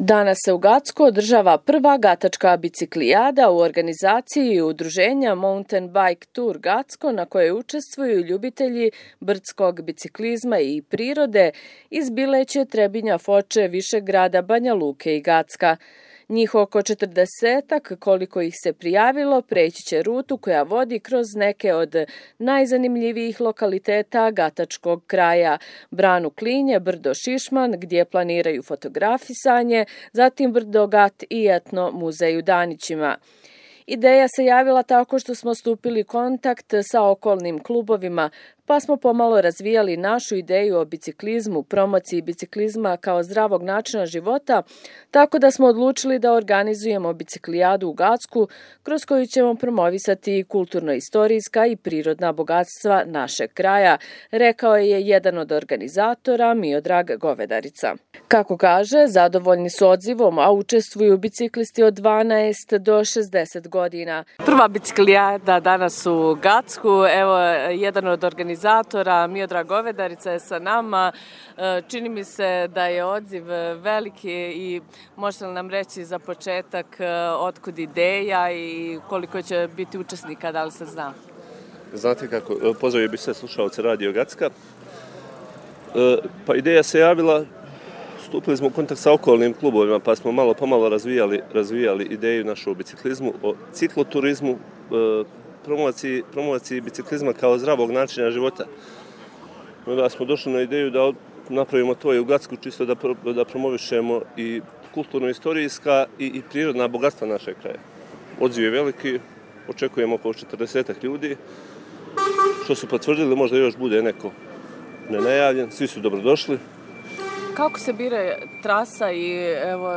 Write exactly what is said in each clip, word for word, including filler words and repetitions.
Danas se u Gacku održava prva gatačka biciklijada u organizaciji udruženja Mountain Bike Tour Gacko, na kojoj učestvuju ljubitelji brdskog biciklizma i prirode iz Bileće, Trebinja, Foče, Višegrada, Banja Luke i Gacka. Njih oko četrdesetak, koliko ih se prijavilo, preći će rutu koja vodi kroz neke od najzanimljivijih lokaliteta gatačkog kraja. Branu Klinje, brdo Šišman, gdje planiraju fotografisanje, zatim brdo Gat i etno muzej u Danićima. Ideja se javila tako što smo stupili kontakt sa okolnim klubovima, pa smo pomalo razvijali našu ideju o biciklizmu, promociji biciklizma kao zdravog načina života, tako da smo odlučili da organizujemo biciklijadu u Gacku, kroz koju ćemo promovisati kulturno-istorijska i prirodna bogatstva našeg kraja, rekao je jedan od organizatora, Miodrag Govedarica. Kako kaže, zadovoljni su odzivom, a učestvuju biciklisti od dvanaest do šezdeset godina. Prva biciklijada danas u Gacku, evo jedan od organizatora, Miodrag Govedarica je sa nama. Čini mi se da je odziv veliki i možete li nam reći za početak otkud ideja i koliko će biti učesnika, da li se zna? Znate kako, pozdravio bih sve slušalce Radio Gacka. Pa ideja se javila, stupili smo u kontakt sa okolnim klubovima, pa smo malo pomalo razvijali, razvijali ideju našu o biciklizmu, o cikloturizmu, promociji, promociji biciklizma kao zdravog načina života. Onda smo došli na ideju da napravimo to i u Gacku, čisto da, da promovišemo i kulturno-istorijska i, i prirodna bogatstva našeg kraja. Odziv je veliki, očekujemo oko četrdesetak ljudi, što su potvrdili, možda još bude neko nenajavljen, svi su dobrodošli. Kako se bira trasa i evo,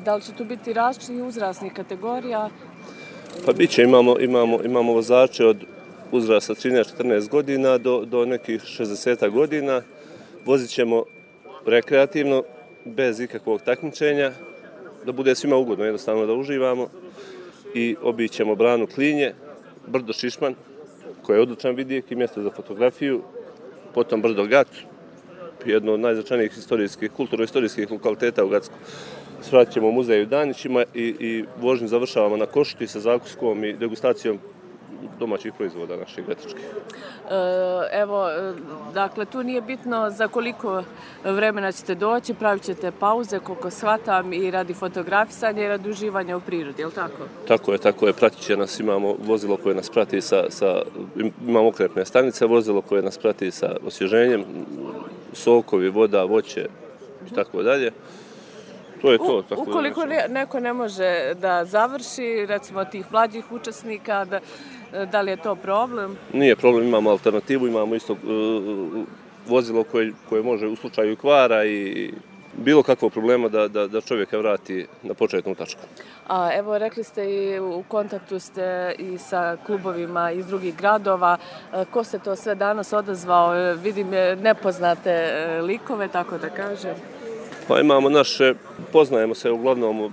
da li će tu biti različitih uzrasnih kategorija? Pa bit će, imamo, imamo, imamo vozače od uzrasta trinaest četrnaest godina do, do nekih šezdeset godina. Vozit ćemo rekreativno, bez ikakvog takmičenja, da bude svima ugodno, jednostavno da uživamo. I obićemo Branu Klinje, brdo Šišman, koje je odličan vidjek i mjesto za fotografiju, potom brdo Gat, jedno od najznačajnijih istorijskih, kulturno-istorijskih lokaliteta u Gacku. Svratit ćemo muzej u Danićima i, i vožnju završavamo na Košuti sa zakuskom i degustacijom domaćih proizvoda naših gatačkih. Evo, dakle, tu nije bitno za koliko vremena ćete doći, pravit ćete pauze, koliko shvatam, i radi fotografisanja i radi uživanja u prirodi, je li tako? Tako je, tako je. Pratit će nas, imamo vozilo koje nas prati sa, sa imamo okrepne stanice, vozilo koje nas prati sa osvježenjem, sokovi, voda, voće i tako dalje. To je to. U, ukoliko ne, neko ne može da završi, recimo tih mlađih učesnika, da, da li je to problem? Nije problem, imamo alternativu, imamo isto uh, vozilo koje, koje može u slučaju kvara i bilo kakvog problema da, da, da čovjeka vrati na početnu tačku. A evo, rekli ste i u kontaktu ste i sa klubovima iz drugih gradova. Ko se to sve danas odazvao? Vidim nepoznate likove, tako da kažem. Pa imamo naše, poznajemo se, uglavnom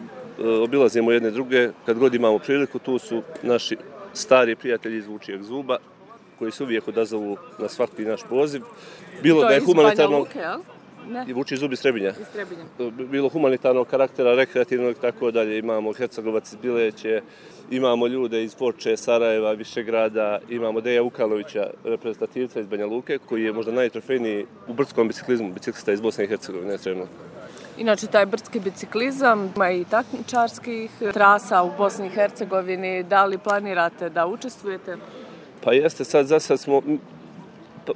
obilazimo jedne druge, kad god imamo priliku, tu su naši stari prijatelji iz Vučijeg Zuba, koji se uvijek odazovu na svaki naš poziv. Bilo to da je humanitarno... Luke, jel? Ne. I Vučiji Zub iz Trebinja. Iz Trebinja. Bilo humanitarnog karaktera, rekreativnog i tako dalje. Imamo Hercegovac iz Bileće, imamo ljude iz Foče, Sarajeva, Višegrada, imamo Deja Vukalovića, reprezentativca iz Banja Luke, koji je možda najtrofejniji u brdskom biciklizmu, biciklista iz Bosne i Hercegovine, trenutno. Inače, taj brdski biciklizam ima i takmičarskih trasa u Bosni i Hercegovini. Da li planirate da učestvujete? Pa jeste, sad za sad smo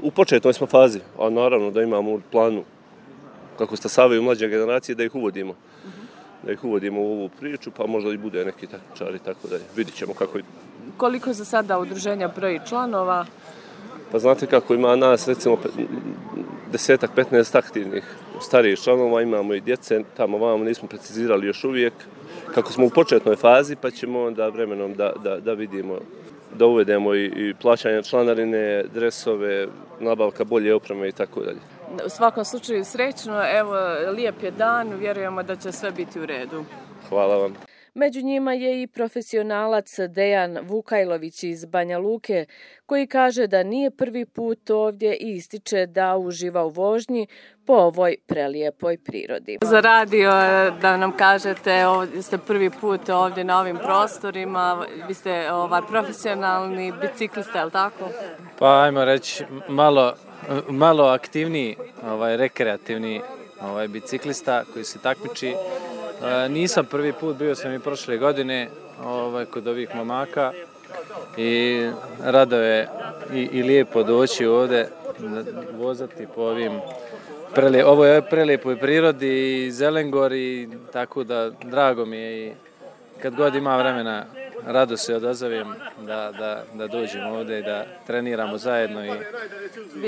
u početnoj smo fazi, a naravno da imamo u planu, kako stasavaju mlađe generacije, da ih uvodimo. Uh-huh. Da ih uvodimo u ovu priču, pa možda i bude neki takmičari, tako da vidit ćemo kako... Koliko za sada udruženja broji članova? Pa znate kako, ima nas recimo desetak, petnaest aktivnih starijih članova, imamo i djece, tamo vamo nismo precizirali još uvijek. Kako smo u početnoj fazi, pa ćemo onda vremenom da, da, da vidimo, da uvedemo i, i plaćanje članarine, dresove, nabavka bolje opreme i tako dalje. U svakom slučaju srećno, evo, lijep je dan, vjerujemo da će sve biti u redu. Hvala vam. Među njima je i profesionalac Dejan Vukajlović iz Banja Luke, koji kaže da nije prvi put ovdje i ističe da uživa u vožnji po ovoj prelijepoj prirodi. Za radio da nam kažete, ovdje ste prvi put ovdje na ovim prostorima, vi ste ovaj, profesionalni biciklista, je li tako? Pa ajmo reći malo, malo aktivniji, ovaj, rekreativni ovaj, biciklista koji se takmiči. E, nisam prvi put, bio sam i prošle godine ovaj, kod ovih momaka i rado je i, i lijepo doći ovdje, vozati po ovim prele, ovo je prelijepoj prirodi i Zelengori, tako da drago mi je i kad god ima vremena rado se odazovem da, da, da dođemo ovdje i da treniramo zajedno i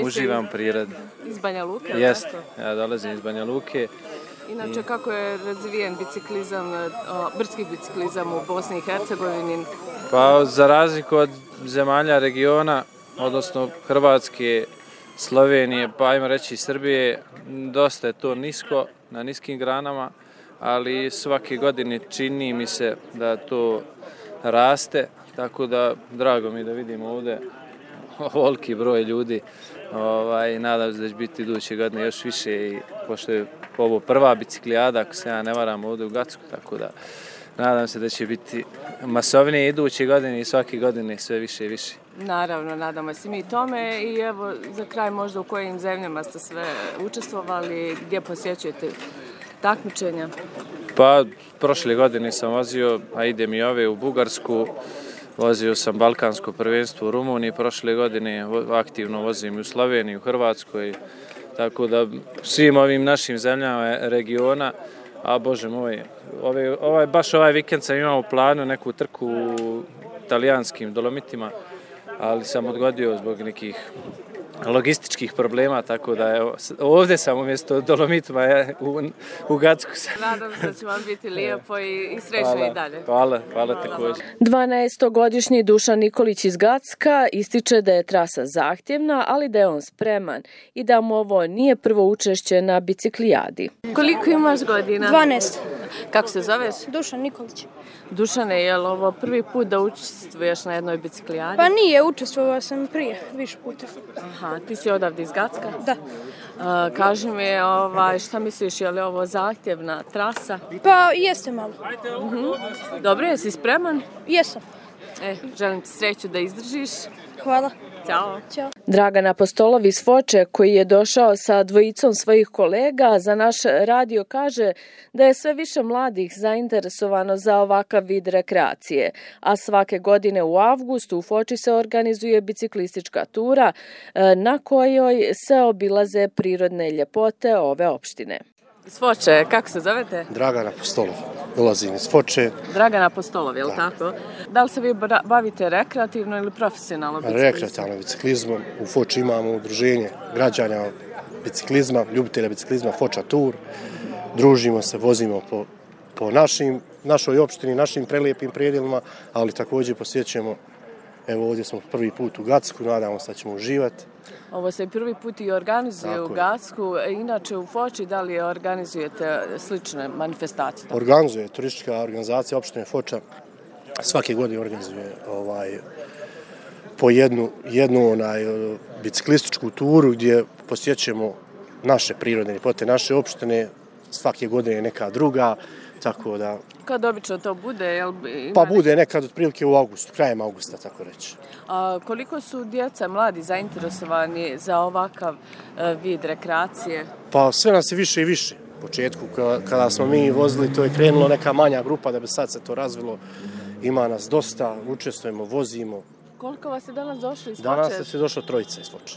uživam u prirodi. Iz Banja Luke? Jeste, ja dolazim iz Banja Luke. Inače, kako je razvijen biciklizam, brdski biciklizam u Bosni i Hercegovini? Pa za razliku od zemalja regiona, odnosno Hrvatske, Slovenije, pa ajmo reći i Srbije, dosta je to nisko, na niskim granama, ali svake godine čini mi se da to raste, tako da drago mi da vidimo ovdje ovoliki broj ljudi. Ovaj, nadam se da će biti iduće godine još više i pošto je ovo prva biciklijada, ako se ja ne varam, ovdje u Gacku, tako da nadam se da će biti masovnije iduće godine i svake godine sve više i više. Naravno, nadamo se mi tome i evo za kraj možda u kojim zemljama ste sve učestvovali, gdje posjećujete takmičenja? Pa prošle godine sam vozio, a idem i ove u Bugarsku, vozio sam Balkansko prvenstvo u Rumuniji, prošle godine aktivno vozim i u Sloveniji, u Hrvatskoj, tako da svim ovim našim zemljama regiona, a bože moj, ove, ovaj, baš ovaj vikend sam imao u planu neku trku u italijanskim Dolomitima, ali sam odgodio zbog nekih logističkih problema, tako da evo, ovdje sam umjesto Dolomitima u, u Gacku. Nadam se da će vam biti lijepo i, i srećno hvala, i dalje. Hvala, hvala također. dvanaestogodišnji Dušan Nikolić iz Gacka ističe da je trasa zahtjevna, ali da je on spreman i da mu ovo nije prvo učešće na biciklijadi. Koliko imaš godina? dvanaest. Kako se zoveš? Dušan Nikolić. Dušane, je li ovo prvi put da učestvuješ na jednoj biciklijadi? Pa nije, učestvovao sam prije, više puta. Aha, ti si odavde iz Gacka? Da. Uh, kaži mi, ovaj, šta misliš, je li ovo zahtjevna trasa? Pa jeste malo. Uh-huh. Dobro, jesi spreman? Jesam. E, želim ti sreću da izdržiš. Hvala. Ćao. Ćao. Dragan Apostolov iz Foče, koji je došao sa dvojicom svojih kolega, za naš radio kaže da je sve više mladih zainteresovano za ovakav vid rekreacije, a svake godine u avgustu u Foči se organizuje biciklistička tura na kojoj se obilaze prirodne ljepote ove opštine. Iz Foče, kako se zovete? Dragan Apostolov, dolazim iz Foče. Dragan Apostolov, je li tako? Da li se vi bavite rekreativno ili profesionalno biciklizmom? Rekreativno biciklizmom. U Foči imamo udruženje građana biciklizma, ljubitelja biciklizma Foča Tour. Družimo se, vozimo po, po našim, našoj opštini, našim prelijepim predjelima, ali također posjećujemo, evo ovdje smo prvi put u Gacku, nadamo se da ćemo uživati. Ovo se prvi put i organizuje tako u Gacku. Inače u Foči, da li organizujete slične manifestacije? Organizuje turistička organizacija opštine Foča. Svake godine organizuje ovaj, po jednu, jednu onaj, biciklističku turu gdje posjećujemo naše prirodne ljepote, naše opštine. Svake godine je neka druga, tako da... Kad obično to bude? Jel ima pa bude nekad otprilike u augustu, krajem augusta, tako reći. A koliko su djeca, mladi zainteresovani za ovakav uh, vid rekreacije? Pa sve nas je više i više. U početku, kada smo mi vozili, to je krenulo neka manja grupa, da bi sad se to razvilo. Ima nas dosta, učestvujemo, vozimo. Koliko vas je danas došlo iz Foče? Danas je došlo trojica iz Foče.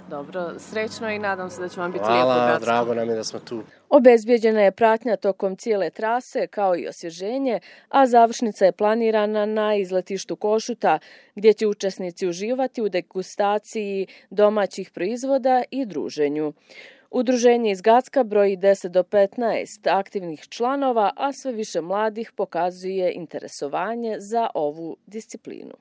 Dobro, srećno i nadam se da će vam biti hvala, lijepo Gacko. Drago nam je da smo tu. Obezbijeđena je pratnja tokom cijele trase, kao i osvježenje, a završnica je planirana na izletištu Košuta, gdje će učesnici uživati u degustaciji domaćih proizvoda i druženju. Udruženje iz Gacka broji deset do petnaest aktivnih članova, a sve više mladih pokazuje interesovanje za ovu disciplinu.